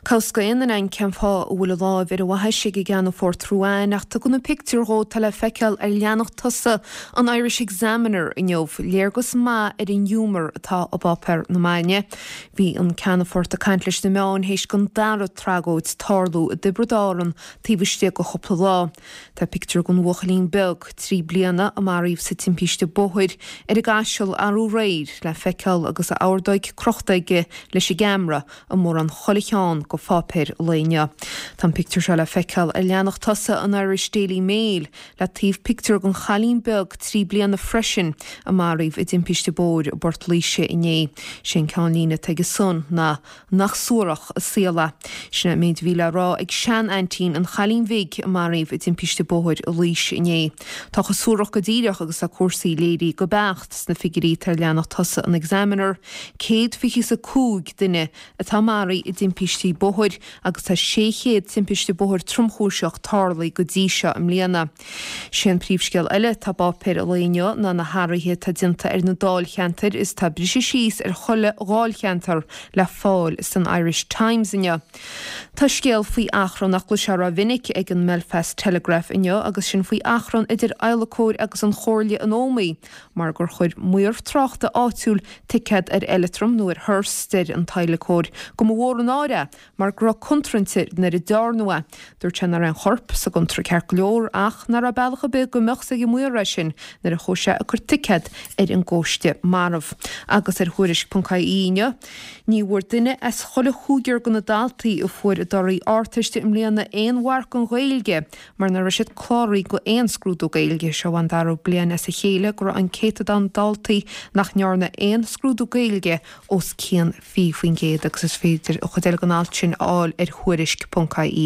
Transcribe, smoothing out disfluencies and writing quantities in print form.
Cá bhfios d'aon duine againn cén fáth a bhfuil a láimh ar a bhaithis ag an gCeannfort Ruane ach tugann na pictiúir dhó atá le feiceáil ar leathanach tosaigh an Irish Examiner inniu léargas maith ar an ghiúmar atá i bpáipéar na maidine. Bhí an Ceannfort ag caint leis na meáin théis don dara tragóid tarlú i dTiobraid Árann taobh istigh de chúpla lá. Tá pictiúr den bhuachaillín beag, 3 bliana, a maraíodh sa timpiste bóthair ar an gCaiseal arú aréir le feiceáil agus a ordóig crochta aige leis an gceamara i mórán chuile cheann de pháipéir an lae inniu. Tá an pictiúr seo le feiceáil ar leathanach tosaigh an Irish Daily Mail le taobh pictiúr den chailín beag 3 bliana freisin a maraíodh i dtimpiste bóthair i bPort Laoise inné. Sé an ceannlíne atá aige san ná 'Nach suarach an saol é'. Sin é an méid a bhí le rá ag sean-aintín an chailín bhig a maraíodh i dtimpiste bóthair i Laois inné. Tá chomh suarach go díreach agus tá cúrsaí léirithe go beacht sna figiúirí atá ar leathanach tosaigh an Examiner, 125 duine atá maraithe i dtimpistí bóthair agus tá 600 timpiste bóthair tromchúiseach tarlaithe go dtí seo i mbliana. Sé an príomhscéal eile atá i bpáipéir an lae inniu ná na hathruithe atá déanta ar na dáilcheantair is tá briseadh síos ar chuile dháilcheantar le fáil san Irish Times inniu. Tá scéal faoi achrann nach gcloisfeá rómhinic ag an mBelfast Telegraph inniu agus sin faoi achrann idir adhlacóir agus an Chomhairle in Ómaigh mar gur chuir maor tráchta áitiúil ticéad ar eileatram nó ar hearse, deir an t-adhlacóir go mba mhór an náire é mar go raibh contúirt ann nuair a dearnadh é. Dúirt sé nach raibh aon chorp sa gcuntar ceart go leor ach nach raibh bealach ar bith go mbeadh 's ag an maor é sin nuair a chuaigh sé ag cur ticéad ar an gcóiste marbh. Agus ar Thuairisc.ie inniu, ní bhfuair duine as chuile chúigear de na daltaí a fuair a dtorthaí Ardteiste i mbliana aon mharc don Ghaeilge mar nach raibh siad cláraithe go aon scrúdú Gaeilge. Seo an dara bliain as a chéile go raibh an céatadán daltaí nach ndearna aon scrúdú Gaeilge os cionn 20% agus is féidir an chuid eile den alt sin a fháil ar Thuairisc.ie.